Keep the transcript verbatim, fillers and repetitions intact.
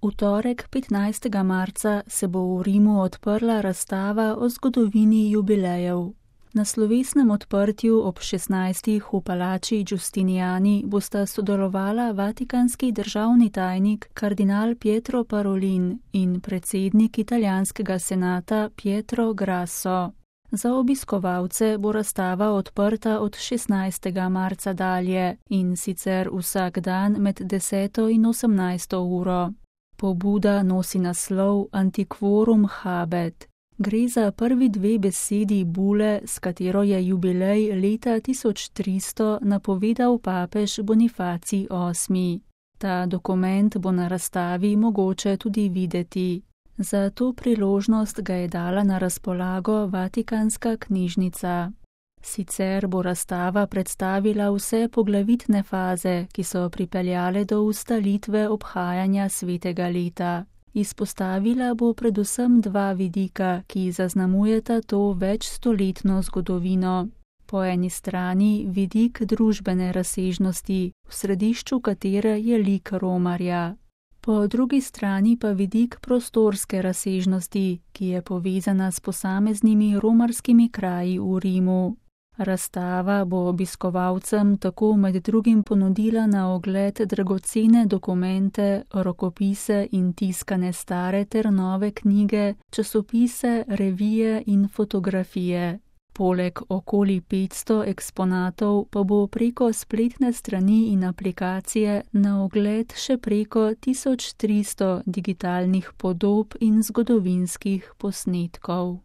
V torek, petnajstega marca, se bo v Rimu odprla razstava o zgodovini jubilejev. Na slovesnem odprtju ob šestnajstih v palači Giustiniani bosta sodelovala vatikanski državni tajnik kardinal Pietro Parolin in predsednik italijanskega senata Pietro Grasso. Za obiskovalce bo razstava odprta od šestnajstega marca dalje, in sicer vsak dan med deseto in osemnajsto uro. Pobuda nosi naslov Antiquorum habet. Gre za prvi dve besedi bule, s katero je jubilej leta tisoč tristo napovedal papež Bonifacij osmi. Ta dokument bo na razstavi mogoče tudi videti. Za to priložnost ga je dala na razpolago Vatikanska knjižnica. Sicer bo razstava predstavila vse poglavitne faze, ki so pripeljale do ustaljitve obhajanja svetega leta. Izpostavila bo predvsem dva vidika, ki zaznamujeta to večstoletno zgodovino. Po eni strani vidik družbene razsežnosti, v središču katere je lik romarja. Po drugi strani pa vidik prostorske razsežnosti, ki je povezana s posameznimi romarskimi kraji v Rimu. Razstava bo obiskovalcem tako med drugim ponudila na ogled dragocene dokumente, rokopise in tiskane stare ter nove knjige, časopise, revije in fotografije. Poleg okoli petsto eksponatov pa bo preko spletne strani in aplikacije na ogled še preko tisoč tristo digitalnih podob in zgodovinskih posnetkov.